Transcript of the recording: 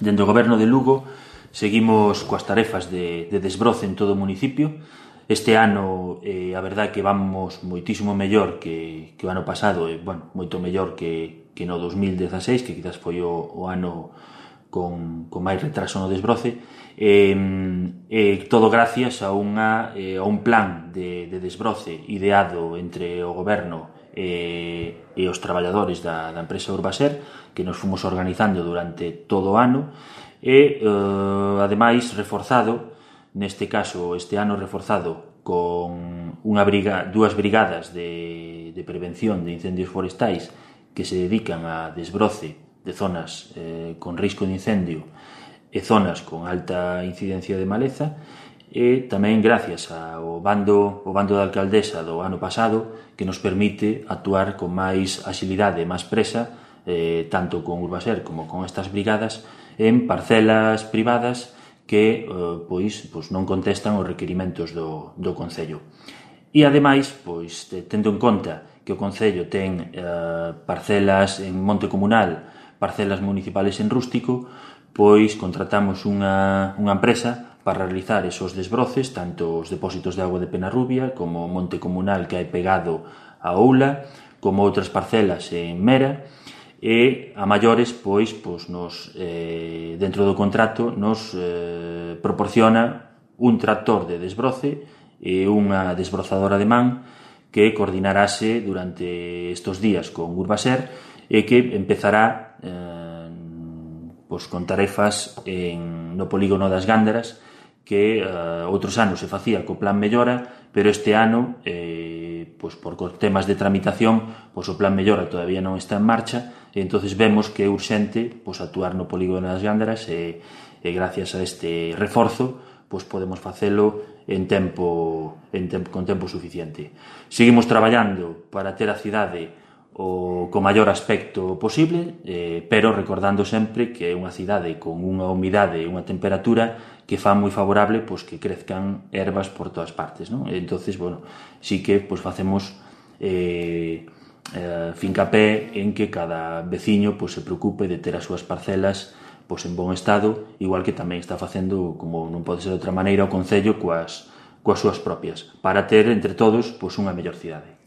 Dende o Goberno de Lugo seguimos coas tarefas de desbroce en todo o municipio. Este ano, a verdade que vamos moitísimo mellor que o ano pasado, moito mellor que no 2016, que quizás foi o ano con máis retraso no desbroce, todo gracias a un plan de desbroce ideado entre o Goberno e os traballadores da empresa Urbaser, que nos fomos organizando durante todo o ano, e ademais reforzado, neste caso este ano reforzado con dúas brigadas de prevención de incendios forestais que se dedican a desbroce de zonas con risco de incendio e zonas con alta incidencia de maleza, e tamén gracias ao bando da alcaldesa do ano pasado, que nos permite actuar con máis axilidade e máis presa, tanto con Urbaser como con estas brigadas, en parcelas privadas que non contestan os requerimentos do Concello. E ademais, tendo en conta que o Concello ten parcelas en monte comunal, parcelas municipales en rústico, contratamos unha empresa para realizar esos desbroces, tanto os depósitos de agua de Penarrubia como o monte comunal que hai pegado a Oula, como outras parcelas en Mera, e a maiores, dentro do contrato, nos proporciona un tractor de desbroce e unha desbrozadora de man que coordinarase durante estes días con Urbaser e que empezará con tarefas no polígono das Gándaras, que outros anos se facía co plan Mellora, pero este ano, por temas de tramitación, o plan Mellora todavía non está en marcha, e entonces vemos que é urxente actuar no polígono das Gándaras, e gracias a este reforzo podemos facelo con tempo suficiente. Seguimos traballando para ter a cidade co maior aspecto posible, pero recordando sempre que é unha cidade con unha humidade e unha temperatura que fan moi favorable que crezcan ervas por todas partes, non? Entonces, sí que facemos fincapé en que cada veciño se preocupe de ter as súas parcelas en bon estado, igual que tamén está facendo, como non pode ser de outra maneira, o Concello coas súas propias, para ter entre todos unha mellor cidade.